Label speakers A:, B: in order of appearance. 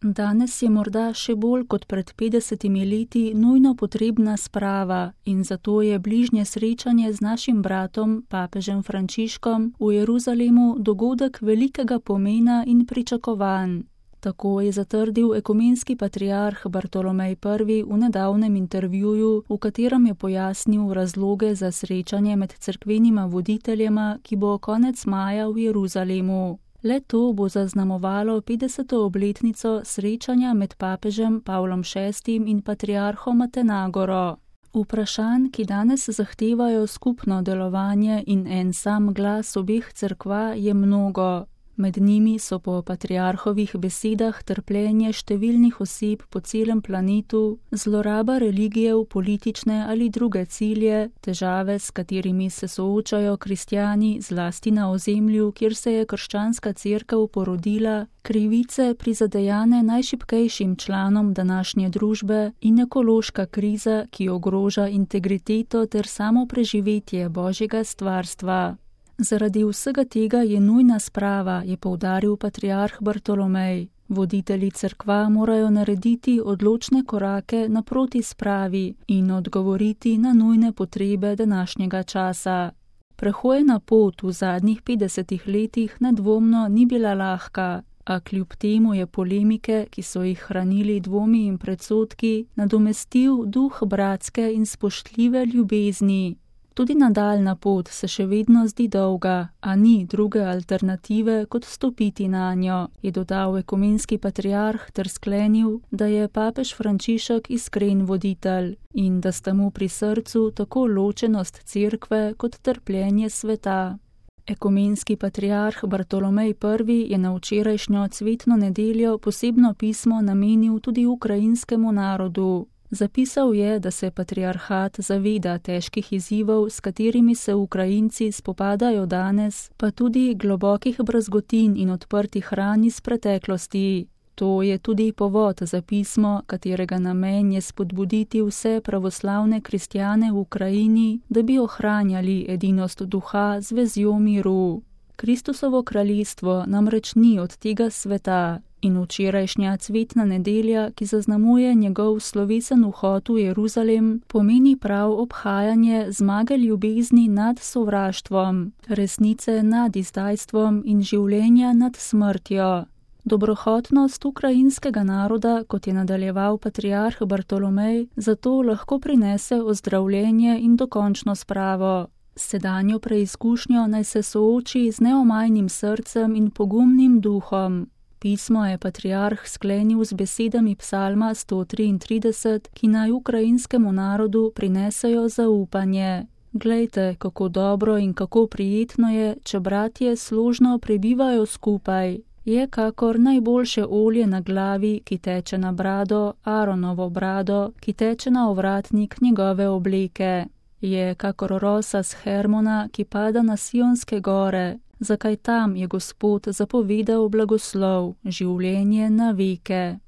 A: Danes je morda še bolj kot pred 50 leti nujno potrebna sprava in zato je bližnje srečanje z našim bratom, papežem Frančiškom, v Jeruzalemu dogodek velikega pomena in pričakovanj. Tako je zatrdil ekumenski patriarh Bartolomej I. v nedavnem intervjuju, v katerem je pojasnil razloge za srečanje med cerkvenima voditeljema, ki bo konec maja v Jeruzalemu. Le to bo zaznamovalo 50. obletnico srečanja med papežem Pavlom VI. In patriarhom Atenagoro. Vprašanj, ki danes zahtevajo skupno delovanje in en sam glas obeh cerkva, je mnogo. Med njimi so po patriarhovih besedah trpljenje številnih oseb po celem planetu, zloraba religije v politične ali druge cilje, težave, s katerimi se soočajo kristjani zlasti na ozemlju, kjer se je krščanska cerkev porodila, krivice prizadejane najšibkejšim članom današnje družbe in ekološka kriza, ki ogroža integriteto ter samo preživetje Božjega stvarstva. Zaradi vsega tega je nujna sprava, je poudaril patriarh Bartolomej. Voditelji cerkva morajo narediti odločne korake naproti spravi in odgovoriti na nujne potrebe današnjega časa. Prehojena pot v zadnjih 50 letih nedvomno ni bila lahka, a kljub temu je polemike, ki so jih hranili dvomi in predsodki, nadomestil duh bratske in spoštljive ljubezni. Tudi nadaljna pot se še vedno zdi dolga, a ni druge alternative, kot stopiti nanjo, je dodal ekumenski patriarh ter sklenil, da je papež Frančišek iskren voditelj in da sta mu pri srcu tako ločenost cerkve kot trpljenje sveta. Ekumenski patriarh Bartolomej I. je na včerajšnjo cvetno nedeljo posebno pismo namenil tudi ukrajinskemu narodu. Zapisal je, da se patriarhat zaveda težkih izzivov, s katerimi se Ukrajinci spopadajo danes, pa tudi globokih brazgotin in odprtih ran iz preteklosti. To je tudi povod za pismo, katerega namen je spodbuditi vse pravoslavne kristjane v Ukrajini, da bi ohranjali edinost duha z vezjo miru. Kristusovo kraljestvo namreč ni od tega sveta. In včerajšnja cvetna nedelja, ki zaznamuje njegov slovesen vhod v Jeruzalem, pomeni prav obhajanje zmage ljubezni nad sovraštvom, resnice nad izdajstvom in življenja nad smrtjo. Dobrohotnost ukrajinskega naroda, kot je nadaljeval patriarh Bartolomej, zato lahko prinese ozdravljenje in dokončno spravo. Sedanjo preizkušnjo naj se sooči z neomajnim srcem in pogumnim duhom. Pismo je patriarh sklenil z besedami psalma 133, ki naj ukrajinskemu narodu prinesejo zaupanje. Glejte, kako dobro in kako prijetno je, če bratje složno prebivajo skupaj. Je kakor najboljše olje na glavi, ki teče na brado, Aaronovo brado, ki teče na ovratnik njegove obleke. Je kakor rosa z Hermona, ki pada na Sionske gore. Zakaj tam je Gospod zapovedal blagoslov, življenje na veke.